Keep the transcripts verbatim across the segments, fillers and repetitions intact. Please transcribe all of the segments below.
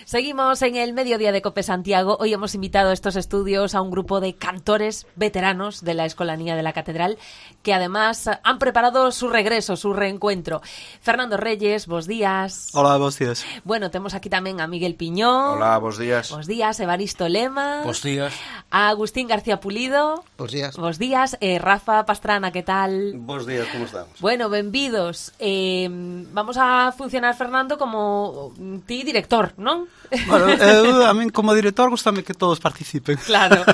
Seguimos en el Mediodía de COPE Santiago. Hoy hemos invitado a estos estudios a un grupo de cantores veteranos de la Escolanía de la Catedral que además han preparado su regreso, su reencuentro. Fernando Reyes, bos días. Hola, bos días. Bueno, temos aquí tamén a Miguel Piñón. Hola, bos días. Bos días, Evaristo Lema. Bos días. A Agustín García Pulido. Bos días. Bos días. Eh, Rafa Pastrana, que tal? Bos días, como estamos? Bueno, benvidos. Eh, vamos a funcionar, Fernando, como ti director, non? Bueno, eu, a min como director gustame que todos participen. Claro.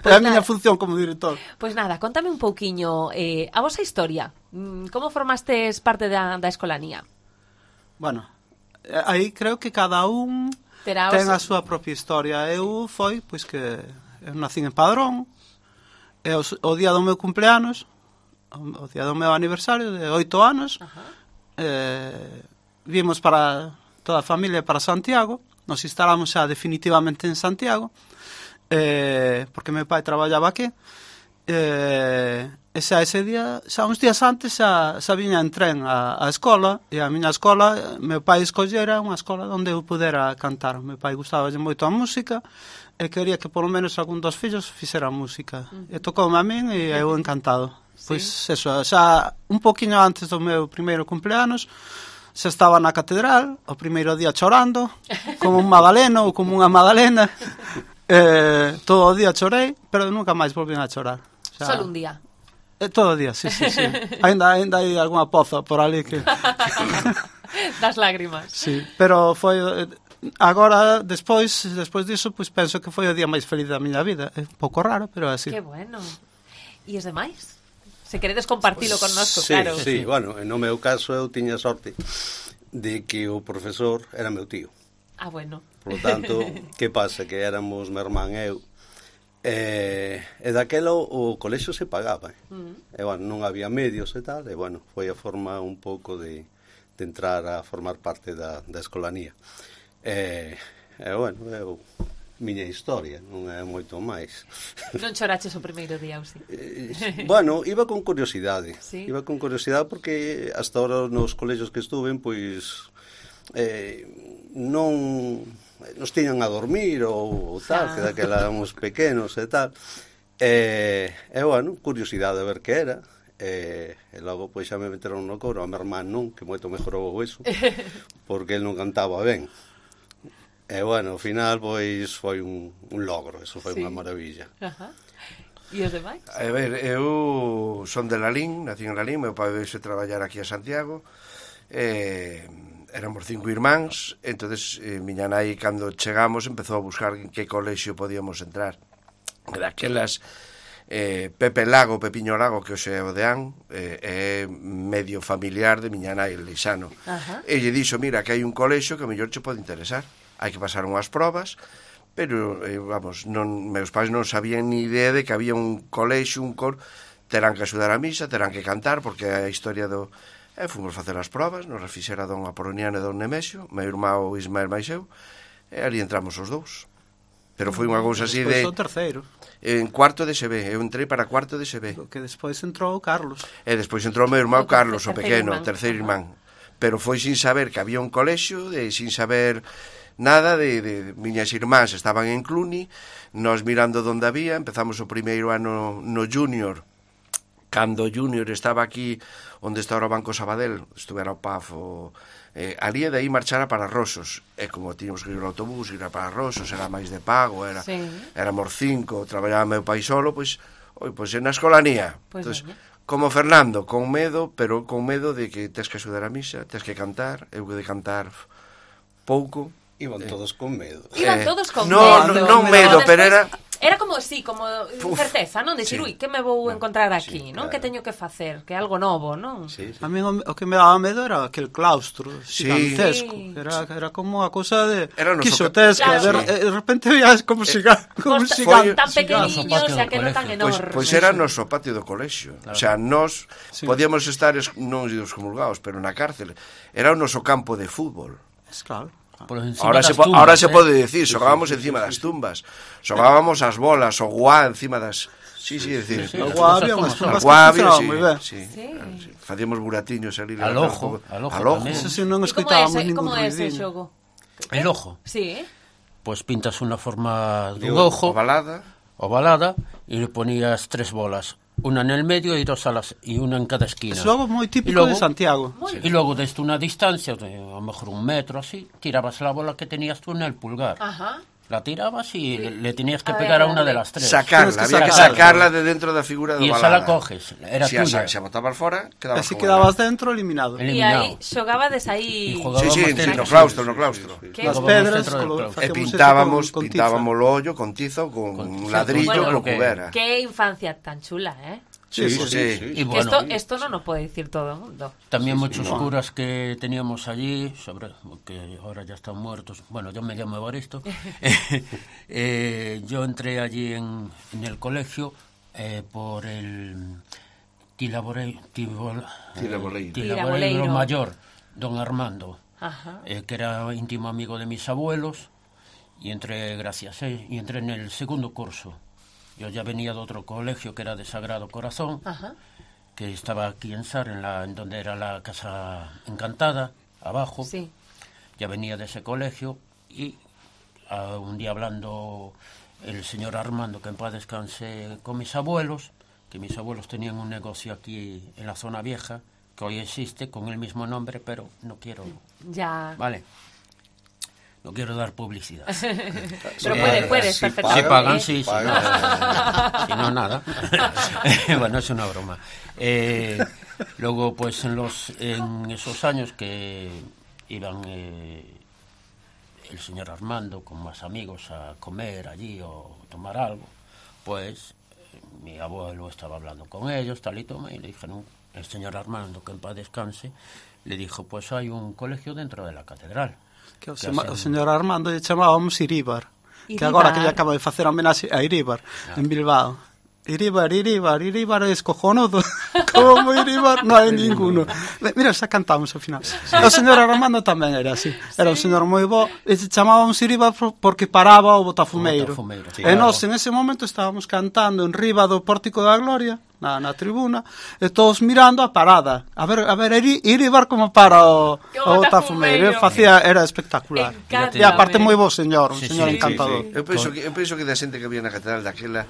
Pues é a miña función como director. Pois pues nada, contame un pouquiño eh, a vosa historia. Como formastes parte da, da Escolanía? Bueno, aí creo que cada un Terá ten os... a súa propia historia. Eu foi, pois que eu nací en Padrón, e o, o día do meu cumpleanos, o, o día do meu aniversario de oito anos, eh, vimos para toda a familia para Santiago. Nos instalamos xa definitivamente en Santiago, eh, porque meu pai traballaba aquí, eh, e xa ese día, xa uns días antes, xa, xa viña en tren a, a escola, e a miña escola, meu pai escollera unha escola onde eu pudera cantar. Meu pai gustaba moito a música, e quería que polo menos algún dos fillos fixera música. Uh-huh. E tocoume a min, e eu encantado. ¿Sí? Pois eso, xa un poquinho antes do meu primeiro cumpleanos, xa estaba na catedral, o primeiro día chorando, como un magdaleno ou como unha magdalena. Eh, todo o día chorei, pero nunca máis volvín a chorar. Xa... Solo un día? Eh, todo o día, sí, sí, sí. Ainda, ainda hai algunha poza por ali que... Das lágrimas. Sí, pero foi... Agora, despois, despois diso, pois penso que foi o día máis feliz da miña vida. É un pouco raro, pero é así. Que bueno. E os demais? Se queredes compartilo con nosco, sí, claro. Sí, bueno, no meu caso eu tiña sorte de que o profesor era meu tío. Ah, bueno. Por lo tanto, que pasa? Que éramos meu irmán e eu. E, e daquelo o colexio se pagaba. Mm. E, bueno, non había medios e tal. E, bueno, foi a forma un pouco de, de entrar a formar parte da, da escolanía. E, e bueno, eu... miña historia, non é moito máis. Non choraches o primeiro día, ou si? Eh, bueno, iba con curiosidade. ¿Sí? Iba con curiosidade porque hasta ahora nos colegios que estuven, pois eh, non nos tiñan a dormir ou, ou tal, ah. que daquela éramos pequenos e tal. E, e bueno, curiosidade a ver que era. E, e logo pois xa me meteron no coro, a meu irmán non, que moito mejorou eso, porque el non cantaba ben. E, bueno, ao final, pois, foi un, un logro, eso foi sí. Unha maravilla. Ajá. E os demais? A ver, eu son de Lalín, nací en Lalín, meu pai veio traballar aquí a Santiago, eh, éramos cinco irmáns, entonces eh, miña nai, cando chegamos, empezou a buscar en que colexio podíamos entrar. Daquelas, eh, Pepe Lago, Pepiño Lago, que hoxe é o deán, eh, é medio familiar de miña nai, Leixano. Ajá. E lle dixo, mira, que hai un colexio que a mellor che pode interesar. Hai que pasar unhas probas, pero, eh, vamos, non, meus pais non sabían ni idea de que había un colexio, un cor, terán que axudar a misa, terán que cantar, porque a historia do... Eh, fomos facer as probas, nos refixera don Apoloniano e don Nemesio, meu irmão Ismael máis eu, e ali entramos os dous. Pero foi unha cousa así de... Despois o terceiro. En cuarto de S B, eu entrei para cuarto de S B. Que despois entrou Carlos. E despois entrou meu irmão Carlos, o pequeno, o terceiro irmán. Pero foi sin saber que había un colexio, e sin saber... nada de, de miñas irmáns estaban en Cluny, nós mirando onde había, empezamos o primeiro ano no Junior, cando o Junior estaba aquí onde está o Banco Sabadell, estuvera o P A F o, eh, ali e de aí marchara para Rosos, e como tínhamos que ir no autobús, ir para Rosos, era máis de pago, era, sí. Éramos cinco, traballaba meu pai solo, pois, oi, pois na escolanía, pois entonces, como Fernando, con medo, pero con medo de que tes que axudar a misa, tes que cantar, eu que de cantar pouco. Iban todos con medo. Iban todos con no, medo. No, non medo, pero era... Era como, sí, como incerteza, non? Dicir, sí. Ui, que me vou encontrar aquí, sí, non? Claro. Que teño que facer? Que é algo novo, non? Sí, sí. A mí o, o que me daba medo era aquel claustro gigantesco. Sí. Era, era como a cousa de quixotesca. Claro. De, de repente veías como eh, siga, como pues, siga, tan pequeniños, o sea, que non tan enormes. Pois pues, pues era noso patio do colexio. Claro. O sea, nós sí. Podíamos estar, non os comulgados, pero na cárcel. Era o noso campo de fútbol. Es claro. Ahora se, tumbas, ahora eh? se pode decir, xogábamos encima das tumbas, xogábamos as bolas, o guá encima das... Sí, sí, decir, o guá había unhas tumbas que funcionaban moi ben. Sí, sí. Sí. Facíamos buratiños ali al ojo, al ojo, al ojo. Eso si non escoitábamos ningún ruidinho. Como é ese xogo? El ojo. Sí. Pues pintas una forma de un Digo, ojo ovalada. ovalada y le ponías tres bolas, una en el medio y dos a las y una en cada esquina. Es algo muy típico Y luego- de Santiago. Y luego desde una distancia, de a lo mejor un metro así, tirabas la bola que tenías tú en el pulgar. Ajá. La tirabas y le, le tenías que A ver, pegar a a una ver. de las tres. Sacarla, Tienes que había que sacarla. sacarla de dentro da figura do Y esa ovalada. la coges, era si a tuya. sa- se botaba fora, quedabas Así con quedabas ela. dentro, eliminado. El- E Eliminado. aí xogabades aí... Y jugábamos Sí, sí, dentro. sí, no claustro, no claustro. Que- Las Jugábamos pedras, dentro del colo- claustro. E facíamos eso pintábamos, con- con tiza. pintábamos o ollo con tiza ou con, Con un tiza, ladrillo, Bueno, con lo que- que hubiera. Qué infancia tan chula, ¿eh? Sí, Sí, sí, sí, sí. Y Que bueno, esto, esto no lo puede decir todo el mundo. también Sí, sí, muchos no. curas que teníamos allí, sobre que ahora ya están muertos. Bueno, yo me llamo Evaristo. eh, yo entré allí en, en el colegio eh, por el Tilabore- Tibol- eh, Tilaboleiro. Tilaboleiro Tilaboleiro. mayor, don Armando, Ajá. eh, que era íntimo amigo de mis abuelos, y entré, gracias, eh, y entré en el segundo curso. Yo ya venía de otro colegio que era de Sagrado Corazón, Ajá. que estaba aquí en Sar, en, la, en donde era la Casa Encantada, abajo. Sí. Ya venía de ese colegio y ah, un día hablando el señor Armando, que en paz descanse, con mis abuelos, que mis abuelos tenían un negocio aquí en la zona vieja, que hoy existe con el mismo nombre, pero no quiero, Ya. vale, no quiero dar publicidad. Pero Eh, puede, puedes, si perfectamente. Si pagan, ¿eh? sí, si pagan. no, si no, nada. Bueno, es una broma. Eh, luego, pues en los en esos años que iban eh, el señor Armando con más amigos a comer allí o tomar algo, pues eh, mi abuelo estaba hablando con ellos, tal y toma, y le dijeron, el señor Armando, que en paz descanse, le dijo, pues hay un colegio dentro de la catedral. Que o, Que sema, hacen- o señor Armando lle chamábamos Iríbar, que Iríbar. agora que lle acaba de facer homenaxe a Iríbar en Bilbao. Iríbar, Iríbar, Iríbar es cojonudo. Como Iríbar non hai ninguno. Mira, xa cantamos ao final. O señor Armando tamén era así. Era un señor moi bo e se chamábamos Iríbar porque paraba o botafumeiro. O botafumeiro, E sí, claro. nós en ese momento estábamos cantando en riba do Pórtico da Gloria, na, na tribuna, e todos mirando a parada. A ver, a ver, Iri- Iríbar como para o, Que o botafumeiro. botafumeiro. Facía, era espectacular. Encántame. E aparte moi bo señor, un Sí, señor sí, encantador. sí, Eu penso que eu penso que da xente que había na catedral daquela,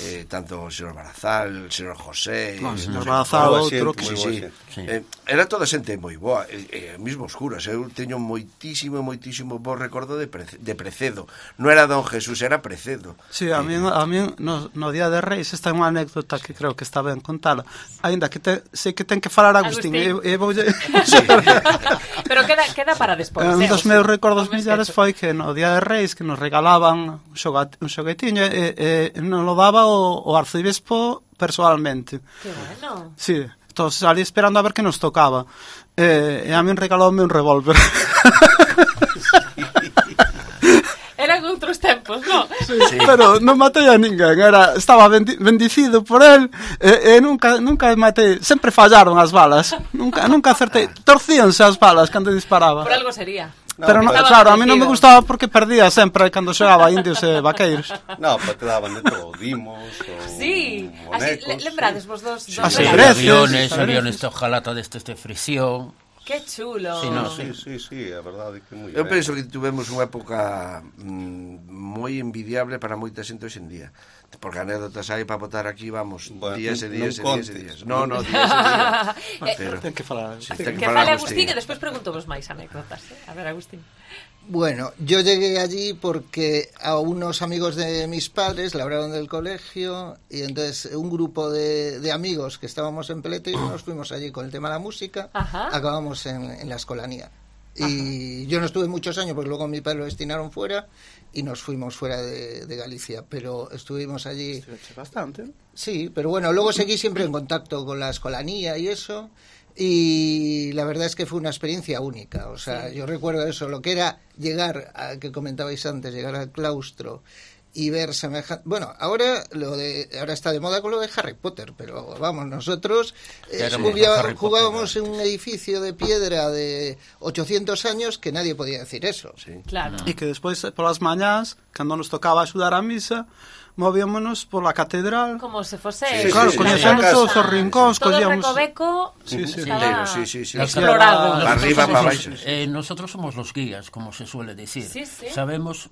eh, tanto o señor Barazal, o señor José, No, o eh, señor no sé, Barazal, boa outro xente, que moi Sí, boa sí. xente. Sí. Eh, era toda xente moi boa, eh, eh, mismo os curas. Eu teño moitísimo, moitísimo bo recordo de, Prece, de Precedo. Non era Don Jesús, era Precedo. Sí, a mí, a mí no, no Día de Reis esta é unha anécdota que creo que está ben contala. Aínda que te, sei que ten que falar Agustín, Agustín. e, e voulle... Pero queda, queda para despois. Un eh, dos José. meus recordos Non me millares esquezo. foi que no Día de Reis que nos regalaban un, xogat, un xoguetiño e, e non lo daba o, o arcebispo personalmente. Qué bueno. Sí, entonces salí esperando a ver que nos tocaba. Eh, e a min regaloume un revólver. Eran outros tempos, ¿no? Sí, pero non matei a ninguén, era, estaba bendi, bendicido por él e, e nunca, nunca matei, sempre fallaron as balas, nunca, nunca acertei, torcíanse as balas cando disparaba. Por algo sería. No, Pero no, pero- claro, a mí non me bendecido. gustaba porque perdía sempre cando xogaba indios e vaqueiros. No, pero te daban de todo, dimos, o Sí, así, bonecos, le, lembrades vos dos, dos Así, regalos? breces, aviones, sabes? aviones de hojalata destes de fricción. Qué chulo. Sí, no, Sí, sí, sí, a verdade que moi Eu ben. penso que tivemos unha época mm, moi envidiable para moita xente hoxe en día. Porque anécdotas hai para botar aquí, vamos, Bueno, días e non días e días e contes. días. No, no, días e días. Eh, Pero, Ten que falar. sí, Sí. ten que falar fale Agustín. Agustín e despois pregunto vos máis anécdotas. Eh? A ver, Agustín. Bueno, yo llegué allí porque a unos amigos de mis padres labraron del colegio y entonces un grupo de, de amigos que estábamos en Pelete y nos fuimos allí con el tema de la música, Ajá. acabamos en, en la escolanía. Y yo no estuve muchos años porque luego mi padre lo destinaron fuera y nos fuimos fuera de, de Galicia, pero estuvimos allí. Bastante. Sí, pero bueno, luego seguí siempre en contacto con la escolanía y eso, y la verdad es que fue una experiencia única. O sea, Sí. yo recuerdo eso, lo que era llegar, a, que comentabais antes, llegar al claustro y ver semejante... Bueno, ahora lo de ahora está de moda con lo de Harry Potter, pero vamos, nosotros eh, jugá, jugábamos en un edificio de piedra de ochocientos años que nadie podía decir eso. Sí. Claro. E que despois, polas mañás, cando nos tocaba axudar a misa, movíamonos pola catedral. Como se fose... Sí, claro, sí, coñecendo sí, todos sí. os rincóns, Todo o collíamos... recoveco Sí, sí. estaba Sí, sí, sí. explorado. Para arriba, somos para los- abaixo. eh, nosotros somos los guías, como se suele decir. Sí, sí. Sabemos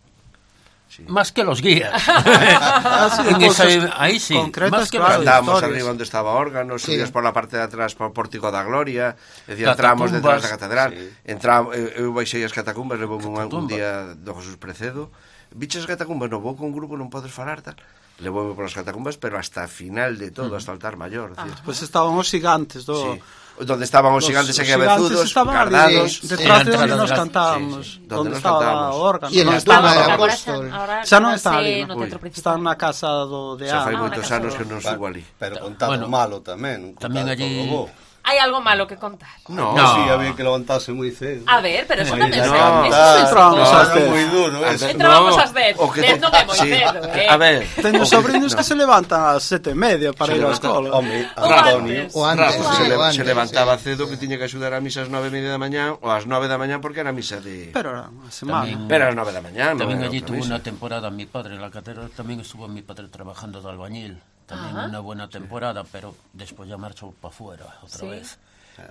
Sí. más que los guías. Ah, sí, En esa- cosas ahí sí, concretas, más que claro. los Andábamos historias. arriba onde estaba órgano, subías Sí. por la parte de atrás por Pórtico da Gloria, é dicir, Catacumbas. entramos detrás da catedral, Sí. entramos, eu, eu baixei as catacumbas, levou un, un Catacumbas. día do Jesús Precedo, biches as catacumbas, no vou con un grupo, non podes falar, tal, levoume por as catacumbas, pero hasta a final de todo, hasta o altar mayor, Ah. decir, Pois estaban os gigantes do... sí. Donde estaban os Los- gigantes os e cabezudos, estaban ali, cardados, Sí, detrás sí. de onde Entrada nos de la- cantábamos, sí, sí. donde Donde nos estaba cantábamos. o órgano. Y en non la estaba- tumba de Agora Apóstol. xa, ahora Xa non está quédase ali, no Ui. centro principal. Está na casa do de xa fai Ah, Ana. moitos na casa anos do- que non subo ali. Pero contado Bueno. malo tamén. Tamén contado allí- todo bo. Hai algo malo que contar. No, No. Sí, había que levantarse moi cedo. A ver, pero eso tamén no, se- no, eso no, se entramos supo. ás Era dez. moi duro Ás eso. dez. Entrábamos No, ás dez. o que dez te- non é moi sí. cedo, eh. A ver, Teño o- sobrinos no. que se levantan ás sete e media para Se ir á levanta- escola. Home, Ou Antonio. antes. O antes, Rafa, sí, se, le- o antes, se levantaba sí. cedo que tiña que axudar a misa ás nove e media da mañá ou ás nove da mañá porque era misa de... Pero era unha semana. Tamén- Pero ás nove da mañá, non También era allí outra tuvo misa. una temporada mi padre en la catedral, también estuvo mi padre trabajando de albañil, también Ajá. una buena temporada, pero después ya marchó para afuera otra Sí. vez.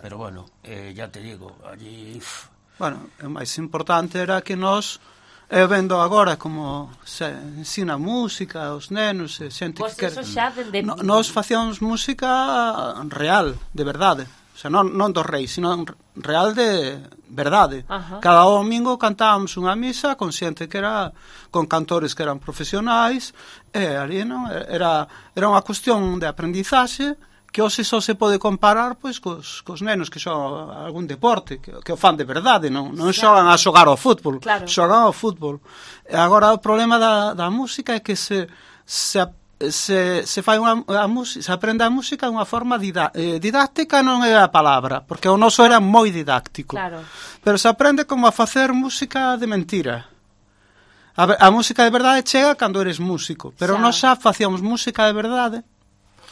Pero bueno, eh, ya te digo, allí uf, Bueno, o máis importante era que nós eu vendo agora como se ensina música aos nenos e xente Pois que eso quere. xa dende... No, nós facíamos música real, de verdade. O sea, non, non do rei, sino real de verdade. Ajá. Cada domingo cantábamos unha misa con xente que era con cantores que eran profesionais e ali non era era unha cuestión de aprendizaxe que hoxe só se pode comparar pois cos, cos nenos que xogan algún deporte, que, que o fan de verdade, non, non xogan a xogar ao fútbol, Claro. xogan ao fútbol. E agora o problema da, da música é que se se, se, se fai unha a música, se aprende a música de unha forma dida, eh, didáctica non é a palabra, porque o noso era moi didáctico. Claro. Pero se aprende como a facer música de mentira. A, ver, a música de verdade chega cando eres músico, pero Xa. nós xa facíamos música de verdade,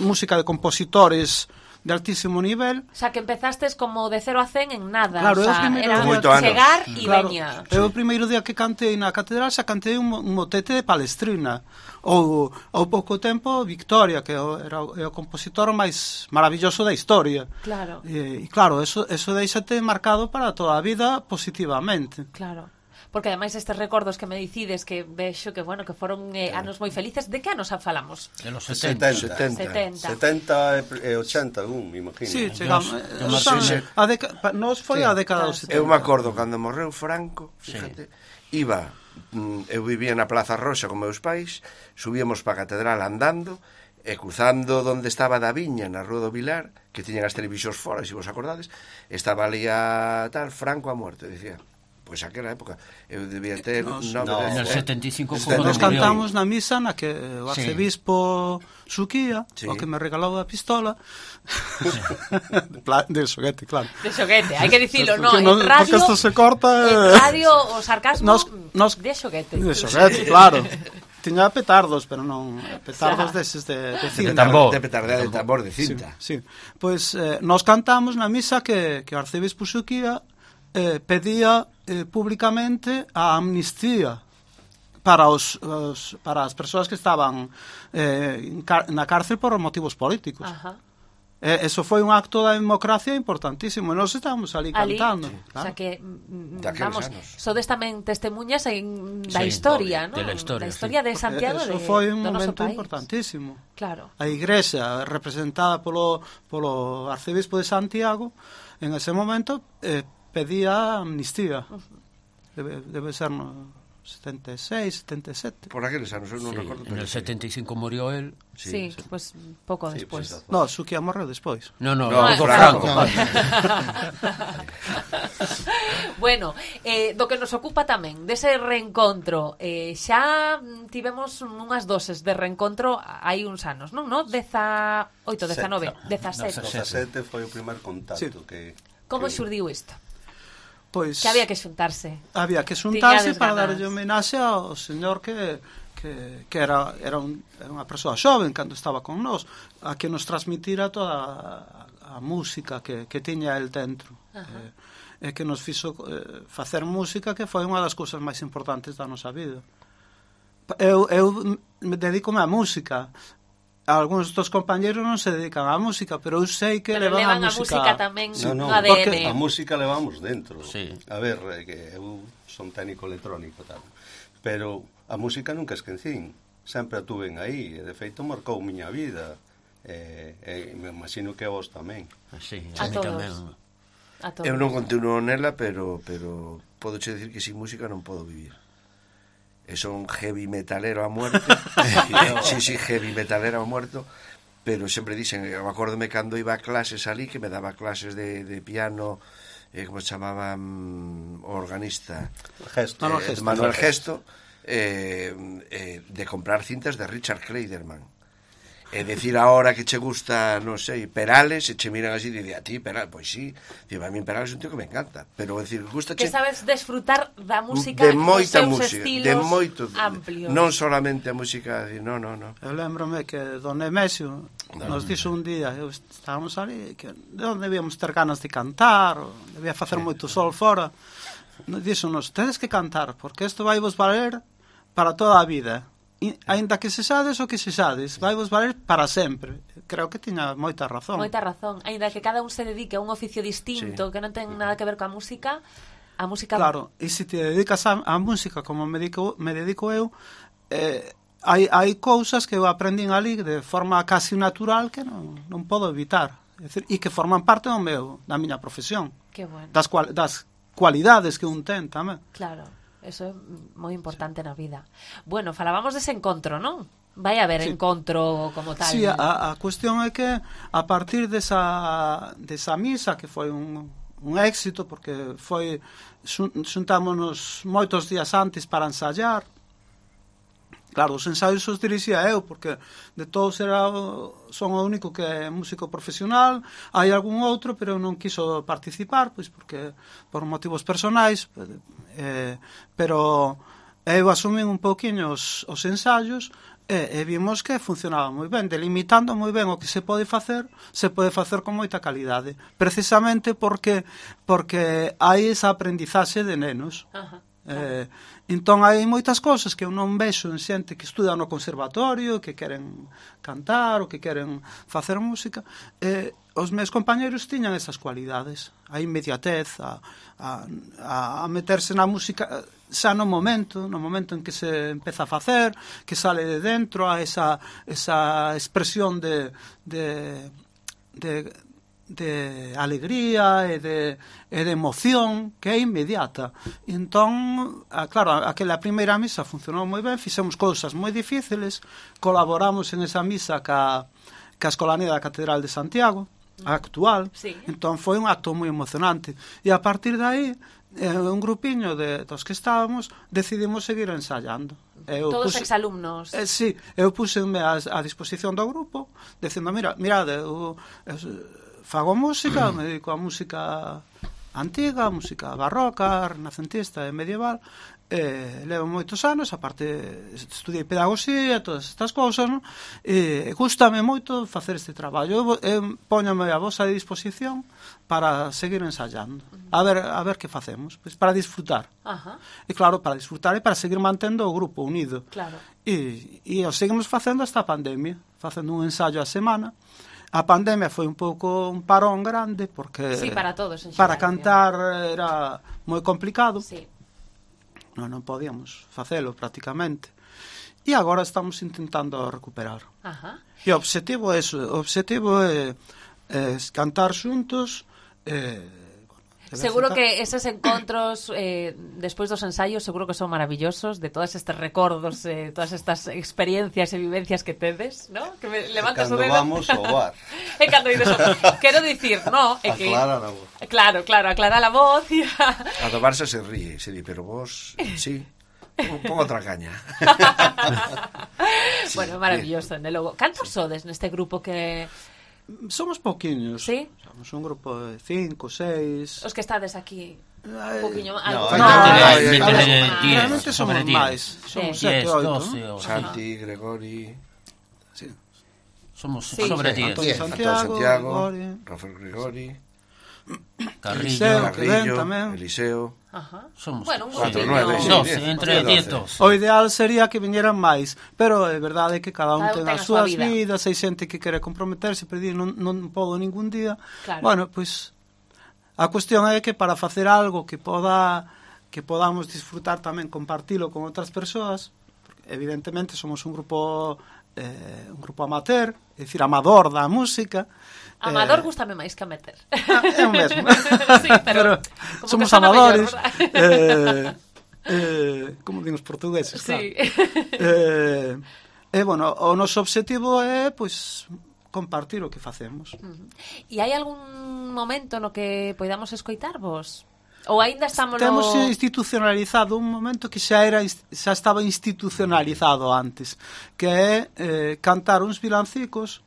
música de compositores de altísimo nivel. O sea, que empezastes como de cero a cen en nada. Claro, o eu sea, primeiro era día- Moito anos. chegar e Claro, veña. eu o primeiro día que cantei na catedral xa cantei un, mo- un motete de Palestrina. Ou ao pouco tempo Victoria, que é o- era o, é o compositor máis maravilloso da historia. Claro. E, e claro, eso, eso deixate marcado para toda a vida positivamente. Claro. Porque ademais estes recordos que me dicides que vexo que, bueno, que foron eh, anos moi felices, de que anos falamos? de los setenta. setenta. setenta. setenta e ochenta, un, me imagino. Sí, chegamos. Yo- eh, yo o más sea, sí, sí. a deca, pa, nos foi a década dos setenta. Eu me acordo cando morreu Franco, fíjate, iba, mm, eu vivía na Plaza Roxa con meus pais, subíamos para a catedral andando, e cruzando donde estaba da Viña, na Rúa do Vilar, que tiñan as televisións fora, se vos acordades, estaba ali a tal, Franco a muerte, dicía. Pois aquela época eu debía ter Nos- nove, no, dez, En el eh. setenta y cinco Este- fue Nos cuando murió. cantamos na misa na que o Sí. arcebispo Suquía, Sí. o que me regalou a pistola, de, pla- de xoguete, claro. De xoguete, hai que dicilo, no, Que en non- radio... porque isto se corta, En eh. radio o sarcasmo Nos- nos- de xoguete. De xoguete, claro. Tiña petardos, pero non petardos Xa. deses de, de De cinta. tambor. De petardea de tambor de Sí, cinta. sí. Pois eh, nos cantamos na misa que, que o arcebispo Suquía eh, pedía eh, públicamente a amnistía para os, os para as persoas que estaban eh, en car- na cárcel por motivos políticos. Ajá. Eh, eso foi un acto da democracia importantísimo. E nós estábamos ali, Ali, cantando. o Claro. sea que, mm, Daqueles vamos, anos. sodes tamén testemunhas en, da Sí, historia, ¿no? de la historia, da historia sí. de Santiago Eso de, foi un do noso momento país. importantísimo. Claro. A igrexa representada polo, polo arcebispo de Santiago en ese momento eh, pedía amnistía. Debe, debe ser no setenta e seis, setenta e sete. Por aqueles anos, eu non Sí, recordo. en pero el sí. setenta y cinco murió él. Sí, pues pouco Sí, despois. pues, No, Suquía morreu despois. No, no, No, no, Franco. Franco. No. Bueno, eh, do que nos ocupa tamén dese reencontro, eh, xa mm, tivemos unhas doses de reencontro hai uns anos, non? No? dezaoito, dezanove, dezasete. dezasete foi o primer contacto Sí. que... Como que- xurdiu isto? Pois Que había que xuntarse. había que xuntarse Tiñades para ganas. darlle homenaxe ao señor que, que que, que era, era, un, era unha persoa xoven cando estaba con nós, a que nos transmitira toda a, a música que, que tiña el dentro. E eh, que nos fixo eh, facer música, que foi unha das cousas máis importantes da nosa vida. Eu, eu me dedico á música. Algúns dos compañeros non se dedican á música, pero eu sei que pero levan, levan a música, música tamén no, no, no A D N. Porque a música levamos dentro. Sí. A ver, eh, que eu son técnico electrónico tal, pero a música nunca esquecín. Sempre a tuven aí, e de feito marcou miña vida. E, e me imagino que a vos tamén. Sí, a, a todos. tamén. A todos. Eu non continuo nela, pero pero podo che decir que sin música non podo vivir. E son heavy metalero a muerte. Sí, sí, heavy metalero a muerto. Pero sempre dixen, eu acórdome cando iba a clases ali, que me daba clases de, de piano, eh, como se chamaba, um, organista, Gesto. eh, Gesto, Manuel Gesto, eh, eh, de comprar cintas de Richard Clayderman. E decir ahora que che gusta, non sei, Perales, e che miran así e di, a ti Perales, pois sí, digo, a mí Perales é un tío que me encanta, pero decir, gusta che... Que sabes desfrutar da música de moita dos seus música, estilos de moito, amplios. Non solamente a música, de, no, no, no. Eu lembrome que Don Nemesio no, nos dixo un día, eu estábamos ali, que de onde debíamos ter ganas de cantar, ou debía facer sí, moito sol fora. Nos dixo-nos, tedes que cantar, porque isto vai vos valer para toda a vida. E, ainda que se sades o que se sades, vai vos valer para sempre. Creo que tiña moita razón. Moita razón. Ainda que cada un se dedique a un oficio distinto, sí, que non ten nada que ver coa música, a música... Claro, e se te dedicas a, a música como me dedico, me dedico eu, eh, hai, hai cousas que eu aprendín ali de forma casi natural que non, non podo evitar. É dicir, e que forman parte do meu, da miña profesión. Que bueno. Das, cual, das cualidades que un ten tamén. Claro. Eso é moi importante na vida. Bueno, falábamos dese encontro, non? Vai haber sí, encontro como tal. Sí, a, a cuestión é que a partir desa, desa misa, que foi un, un éxito, porque foi xuntámonos moitos días antes para ensayar. Claro, os ensaios os dirixía eu, porque de todos era o, son o único que é músico profesional, hai algún outro, pero eu non quiso participar, pois porque por motivos personais, eh, pero eu asumín un pouquiño os, os ensaios e, e vimos que funcionaba moi ben, delimitando moi ben o que se pode facer, se pode facer con moita calidade, precisamente porque porque hai esa aprendizaxe de nenos. Ajá. Eh, entón hai moitas cousas que eu non vexo en xente que estuda no conservatorio, que queren cantar ou que queren facer música. Eh, os meus compañeros tiñan esas cualidades, a inmediatez, a, a, a meterse na música xa no momento, no momento en que se empeza a facer, que sale de dentro, a esa, esa expresión de, de, de de alegría e de, e de emoción que é inmediata. Entón, a, claro, aquela primeira misa funcionou moi ben, fixemos cousas moi difíciles, colaboramos en esa misa ca, ca Escolanía da Catedral de Santiago, a actual, sí, entón foi un acto moi emocionante. E a partir de aí, eh, un grupiño de, dos que estábamos, decidimos seguir ensayando. Eu Todos puse, exalumnos. Eh, sí, eu puseme a, a disposición do grupo, dicindo, mira, mirade, eu, eu fago música, me dedico a música antiga, música barroca, renacentista e medieval, e levo moitos anos, aparte estudiei pedagogía, todas estas cousas, non? E gústame moito facer este traballo. Eu, eu póñome a vosa disposición para seguir ensayando. A ver, a ver que facemos, pois para disfrutar. Ajá. E claro, para disfrutar e para seguir mantendo o grupo unido. Claro. E, e o seguimos facendo hasta a pandemia, facendo un ensayo a semana. A pandemia foi un pouco un parón grande porque sí, para todos en para xeral, cantar era moi complicado. Sí. Non, non podíamos facelo prácticamente. E agora estamos intentando recuperar. Ajá. E o obxectivo é eso, o obxectivo é, é cantar xuntos, eh, seguro que eses encontros eh, despois dos ensaios seguro que son maravillosos, de todos estes recordos, eh, todas estas experiencias e vivencias que tedes, ¿no? Que me levantas o dedo. Cando vamos ao bar. E cando ides ao bar. Quero dicir, no, é que aclara a voz. Claro, claro, aclara a voz e a... A do Barça se ríe, se di, pero vos, sí. Pon outra caña. Sí, bueno, maravilloso, de logo. Cantos sodes neste grupo que somos pouquiños. Sí? Somos un grupo de cinco, seis. Os que estades aquí. Un poquinho máis. No, algo hai máis. que- Ay, hay- métele hay- diez, Realmente somos sobre diez. máis. Somos Sí. sete, diez, oito, doce, ¿no? o- Santi, Gregori, Sí. Somos Sí. sobre Sí, diez. Antonio Diez. Antonio Santiago, Santiago, Gregorio, Rafael Gregori, Carrillo. Eliseo. que ven Carrillo, tamén. Eliseo. Ajá. Somos Bueno, un cuatro, grupiño. nueve, sí. doce, diez, entre doce. diez, doce. O ideal sería que viñeran máis, pero é verdade que cada un Cada un ten ten as a súa súas vida. vidas, hai xente que quere comprometerse, pero di, non, non podo ningún día. Claro. Bueno, pois a cuestión é que para facer algo que poda que podamos disfrutar tamén, compartilo con outras persoas, porque evidentemente somos un grupo eh, un grupo amateur, é dicir, amador da música. Amador eh, gústame máis que a meter. É o mesmo. Sí, pero, pero como somos que sona amadores. mellor, eh, eh, como din os portugueses, Sí. claro. Eh, e, bueno, o noso obxectivo é, pois, compartir o que facemos. E hai algún momento no que poidamos escoitarvos? Ou aínda estamos Temos no... institucionalizado un momento que xa era xa estaba institucionalizado antes, que é eh, cantar uns vilancicos,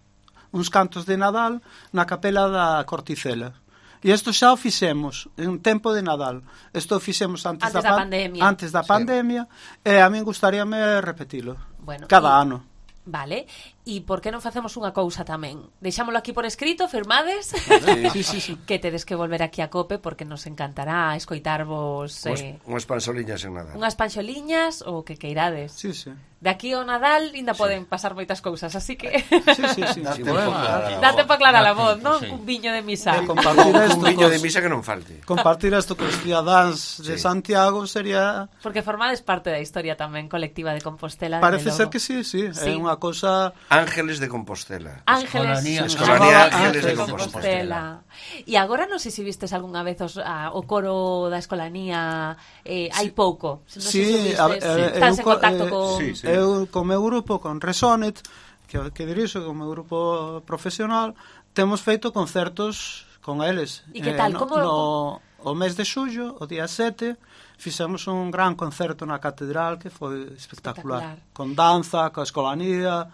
uns cantos de Nadal na capela da Corticela. E isto xa o fixemos en tempo de Nadal. Isto o fixemos antes, Antes da, da pandemia. Antes da pandemia, e a min gustaríame repetilo. Bueno, cada y- ano. Vale, e por que non facemos unha cousa tamén? Deixámolo aquí por escrito, firmades? Sí, sí, sí. Que tedes que volver aquí a Cope porque nos encantará escoitarvos Unhas, eh, unhas pansoliñas en nada. unhas panxoliñas ou que queirades. Sí, sí. De aquí ao Nadal ainda poden pasar moitas cousas, así que Sí, sí, sí. Dá Sí, tempo bueno. para- date para aclarar a Dá voz, tempo, non? sí. Un viño de misa. E compartir Un isto viño cos, de misa que non falte. compartir isto cos cidadáns de Sí. Santiago sería... Porque formades parte da historia tamén colectiva de Compostela. Parece dende ser logo. que sí, sí. Sí. É unha cousa... Ángeles de Compostela. Ángeles, Escolanía- Escolanía Ángeles de de Compostela. E agora non sei se vistes algunha vez os, a, o coro da Escolanía eh, hai pouco. Non sei Sí, se o vistes. a- eh, Estás eu en co- contacto eh, con... sí, sí. Eu, co meu grupo, con Resonet, que, que dirixo, con o meu grupo profesional, temos feito concertos con eles. E que tal? no, Como- no, o mes de xullo, o día sete, fixemos un gran concerto na catedral que foi espectacular. Espectacular. Con danza, coa escolanía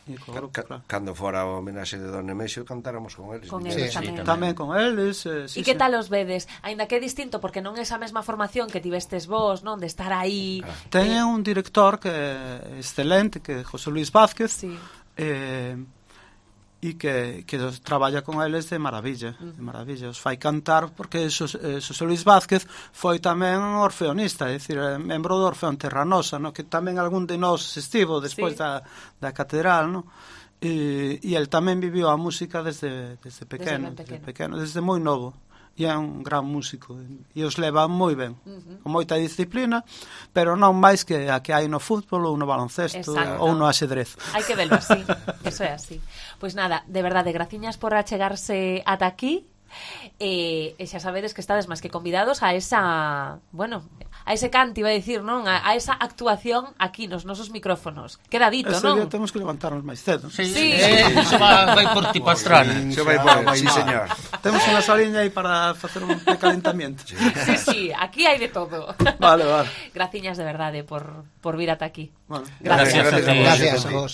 e co grupo, Ca- claro. Cando fora o homenaxe de Don Nemesio cantáramos con eles. Con viñeron. eles Sí, tamén. Tamén con eles. Eh, sí, E que sí. tal os vedes? Aínda que é distinto porque non é esa mesma formación que tivestes vos, non? De estar aí... Teñen un director que é excelente, que é José Luis Vázquez, Sí. eh, e que, que os traballa con eles de maravilla, de maravilla, os fai cantar, porque Xos, eh, Xosé Luis Vázquez foi tamén orfeonista, é dicir, eh, membro do Orfeón Terranosa, no? Que tamén algún de nós estivo despois Sí. da, da catedral, no? E, e el tamén viviu a música desde, desde pequeno, ben desde, pequeno. pequeno, desde moi novo. E é un gran músico e os leva moi ben, con moita disciplina, pero non máis que a que hai no fútbol ou no baloncesto Exacto. ou no axedrez. Hai que verlo así, eso é así. Pois nada, de verdade, graciñas por achegarse ata aquí. E, e xa sabedes que estades máis que convidados a esa, bueno, a ese canto, iba a dicir, non? A, a esa actuación aquí nos nosos micrófonos. Queda dito, Ese non? día temos que levantarnos máis cedo. Sí, Sí. eh, iso va, vai por ti pastrana. Se vai por el, sí, señor. Temos unha saliña aí para facer un precalentamiento. Sí, sí, aquí hai de todo. Vale, vale. Graciñas de verdade por, por vir ata aquí. Bueno, Gracias a ti. Gracias a vos.